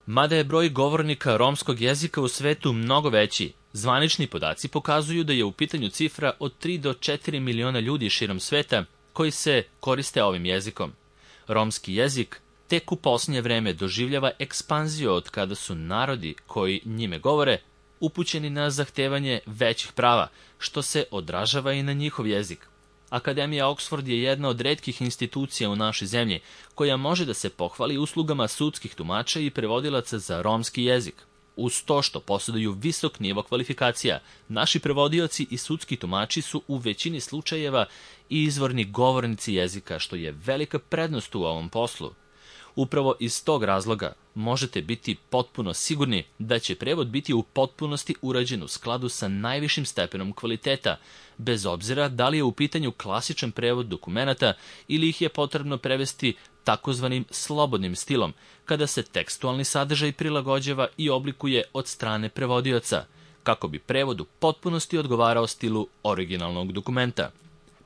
Mada je broj govornika romskog jezika u svetu mnogo veći, zvanični podaci pokazuju da je u pitanju cifra od 3 do 4 miliona ljudi širom sveta koji se koriste ovim jezikom. Romski jezik tek u posljednje vreme doživljava ekspanziju od kada su narodi koji njime govore upućeni na zahtevanje većih prava, što se odražava i na njihov jezik. Akademija Oxford je jedna od retkih institucija u našoj zemlji koja može da se pohvali uslugama sudskih tumača i prevodilaca za romski jezik. Uz to što posjeduju visok nivo kvalifikacija, naši prevodioci i sudski tumači su u većini slučajeva i izvorni govornici jezika, što je velika prednost u ovom poslu. Upravo iz tog razloga možete biti potpuno sigurni da će prevod biti u potpunosti urađen u skladu sa najvišim stepenom kvaliteta, bez obzira da li je u pitanju klasičan prevod dokumenata ili ih je potrebno prevesti takozvanim slobodnim stilom, kada se tekstualni sadržaj prilagođava i oblikuje od strane prevodioca, kako bi prevod u potpunosti odgovarao stilu originalnog dokumenta.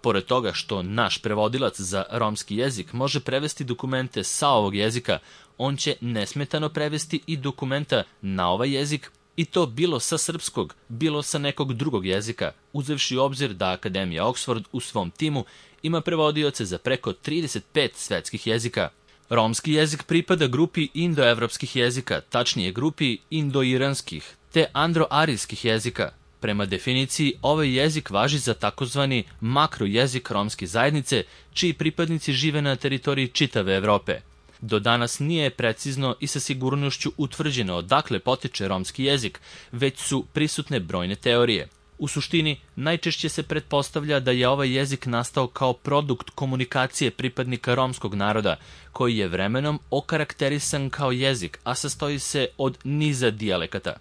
Pored toga što naš prevodilac za romski jezik može prevesti dokumente sa ovog jezika, on će nesmetano prevesti i dokumenta na ovaj jezik, i to bilo sa srpskog, bilo sa nekog drugog jezika, uzevši u obzir da Akademija Oxford u svom timu ima prevodioce za preko 35 svetskih jezika. Romski jezik pripada grupi indoevropskih jezika, tačnije grupi indoiranskih te androarijskih jezika. Prema definiciji, ovaj jezik važi za takozvani makrojezik romske zajednice, čiji pripadnici žive na teritoriji čitave Evrope. Do danas nije precizno i sa sigurnošću utvrđeno odakle potiče romski jezik, već su prisutne brojne teorije. U suštini, najčešće se pretpostavlja da je ovaj jezik nastao kao produkt komunikacije pripadnika romskog naroda, koji je vremenom okarakterisan kao jezik, a sastoji se od niza dijalekata.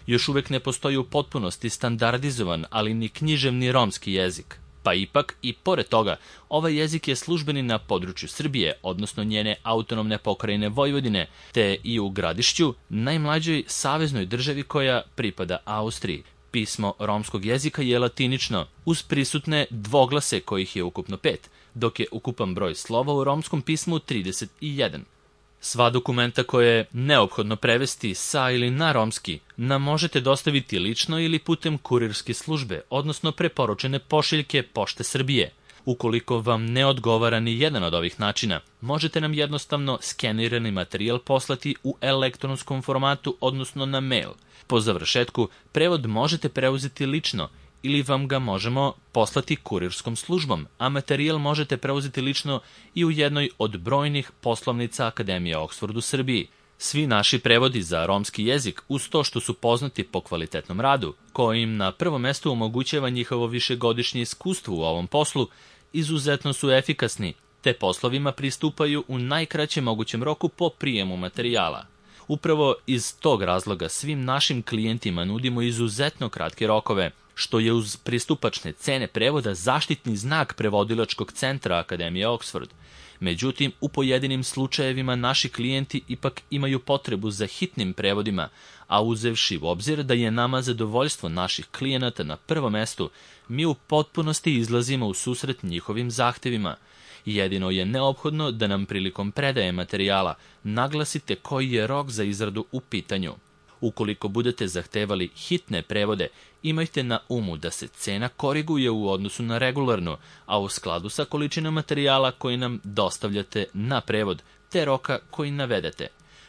Još uvek ne postoji u potpunosti standardizovan, ali ni književni romski jezik. Pa ipak, i pored toga, ovaj jezik je službeni na području Srbije, odnosno njene autonomne pokrajine Vojvodine, te i u Gradišću, najmlađoj saveznoj državi koja pripada Austriji. Pismo romskog jezika je latinično, uz prisutne dvoglase kojih je ukupno 5, dok je ukupan broj slova u romskom pismu 31. Sva dokumenta koje je neophodno prevesti sa ili na romski nam možete dostaviti lično ili putem kurirske službe, odnosno preporučene pošiljke Pošte Srbije. Ukoliko vam ne odgovara ni jedan od ovih načina, možete nam jednostavno skenirani materijal poslati u elektronskom formatu, odnosno na mail. Po završetku, prevod možete preuzeti lično ili vam ga možemo poslati kurirskom službom, a materijal možete preuzeti lično i u jednoj od brojnih poslovnica Akademije Oxford u Srbiji. Svi naši prevodi za romski jezik, uz to što su poznati po kvalitetnom radu, koji im na prvom mestu omogućava njihovo višegodišnje iskustvo u ovom poslu, izuzetno su efikasni, te poslovima pristupaju u najkraćem mogućem roku po prijemu materijala. Upravo iz tog razloga svim našim klijentima nudimo izuzetno kratke rokove, što je uz pristupačne cene prevoda zaštitni znak prevodilačkog centra Akademije Oxford. Međutim, u pojedinim slučajevima naši klijenti ipak imaju potrebu za hitnim prevodima, a uzevši u obzir da je nama zadovoljstvo naših klijenata na prvom mestu, mi u potpunosti izlazimo u susret njihovim zahtevima. Jedino je neophodno da nam prilikom predaje materijala naglasite koji je rok za izradu u pitanju. Ukoliko budete zahtevali hitne prevode, imajte na umu da se cena koriguje u odnosu na regularnu, a u skladu sa količinom materijala koji nam dostavljate na prevod, te roka koji navedete.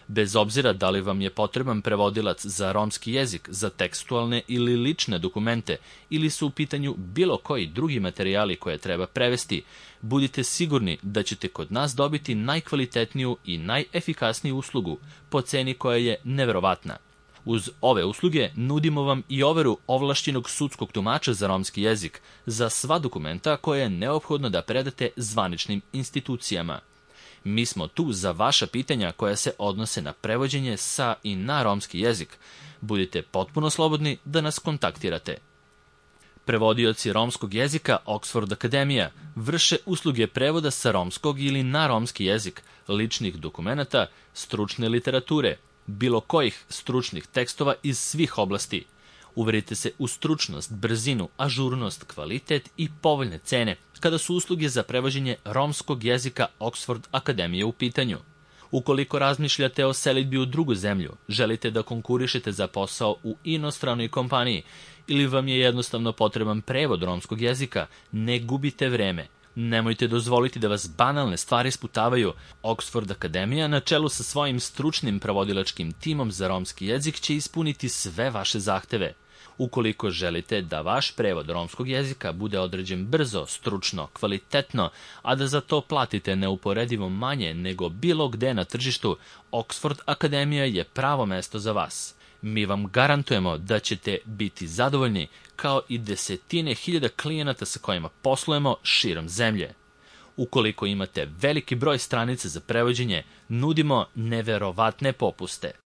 Bez obzira da li vam je potreban prevodilac za romski jezik, za tekstualne ili lične dokumente, ili su u pitanju bilo koji drugi materijali koje treba prevesti, budite sigurni da ćete kod nas dobiti najkvalitetniju i najefikasniju uslugu po ceni koja je neverovatna. Uz ove usluge nudimo vam i overu ovlašćenog sudskog tumača za romski jezik za sva dokumenta koje je neophodno da predate zvaničnim institucijama. Mi smo tu za vaša pitanja koja se odnose na prevođenje sa i na romski jezik. Budite potpuno slobodni da nas kontaktirate. Prevodioci romskog jezika Oxford Akademija vrše usluge prevoda sa romskog ili na romski jezik, ličnih dokumenata, stručne literature, bilo kojih stručnih tekstova iz svih oblasti. Uverite se u stručnost, brzinu, ažurnost, kvalitet i povoljne cene kada su usluge za prevođenje romskog jezika Oxford Akademije u pitanju. Ukoliko razmišljate o selidbi u drugu zemlju, želite da konkurišete za posao u inostranoj kompaniji ili vam je jednostavno potreban prevod romskog jezika, ne gubite vreme. Nemojte dozvoliti da vas banalne stvari sputavaju. Oxford Akademija na čelu sa svojim stručnim prevodilačkim timom za romski jezik će ispuniti sve vaše zahteve. Ukoliko želite da vaš prevod romskog jezika bude određen brzo, stručno, kvalitetno, a da za to platite neuporedivo manje nego bilo gde na tržištu, Oxford Akademija je pravo mesto za vas. Mi vam garantujemo da ćete biti zadovoljni, kao i desetine hiljada klijenata sa kojima poslujemo širom zemlje. Ukoliko imate veliki broj stranica za prevođenje, nudimo neverovatne popuste.